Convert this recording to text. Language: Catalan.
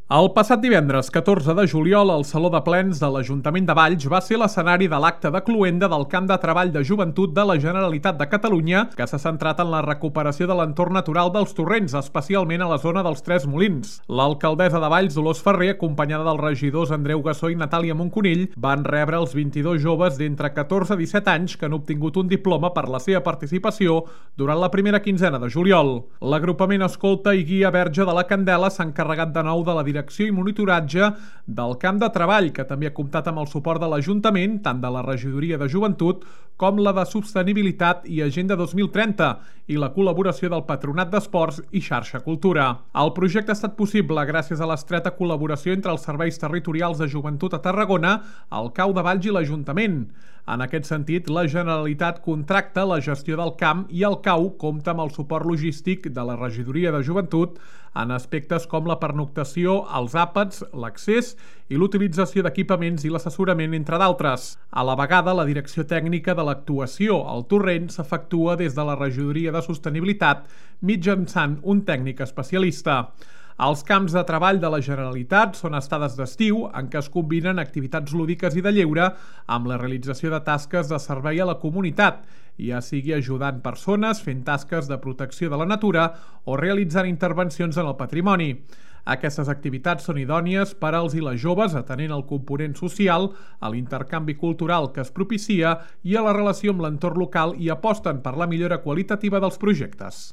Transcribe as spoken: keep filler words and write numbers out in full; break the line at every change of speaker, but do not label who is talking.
El passat divendres catorze de juliol, el Saló de Plens de l'Ajuntament de Valls va ser l'escenari de l'acte de cloenda del Camp de Treball de Joventut de la Generalitat de Catalunya, que s'ha centrat en la recuperació de l'entorn natural dels torrents, especialment a la zona dels Tres Molins. L'alcaldessa de Valls, Dolors Ferrer, acompanyada dels regidors Andreu Gassó i Natàlia Monconill, van rebre els vint-i-dos joves d'entre catorze i disset anys que han obtingut un diploma per la seva participació durant la primera quinzena de juliol. L'agrupament Escolta i Guia Verge de la Candela s'ha encarregat de nou de la direcció i monitoratge del camp de treball, que també ha comptat amb el suport de l'Ajuntament, tant de la Regidoria de Joventut com la de Sostenibilitat i Agenda dos mil trenta, i la col·laboració del Patronat d'Esports i Xarxa Cultura. El projecte ha estat possible gràcies a l'estreta col·laboració entre els serveis territorials de joventut a Tarragona, el C A U de Valls i l'Ajuntament. En aquest sentit, la Generalitat contracta la gestió del camp i el C A U compta amb el suport logístic de la Regidoria de Joventut en aspectes com la pernoctació, els àpats, l'accés i l'utilització d'equipaments i l'assessorament, entre d'altres. A la vegada, la direcció tècnica de l'actuació al torrent s'efectua des de la Regidoria de Sostenibilitat mitjançant un tècnic especialista. Els camps de treball de la Generalitat són estades d'estiu en què es combinen activitats lúdiques i de lleure amb la realització de tasques de servei a la comunitat, ja sigui ajudant persones, fent tasques de protecció de la natura o realitzant intervencions en el patrimoni. Aquestes activitats són idònies per als i les joves, atenent al component social, a l'intercanvi cultural que es propicia i a la relació amb l'entorn local, i aposten per la millora qualitativa dels projectes.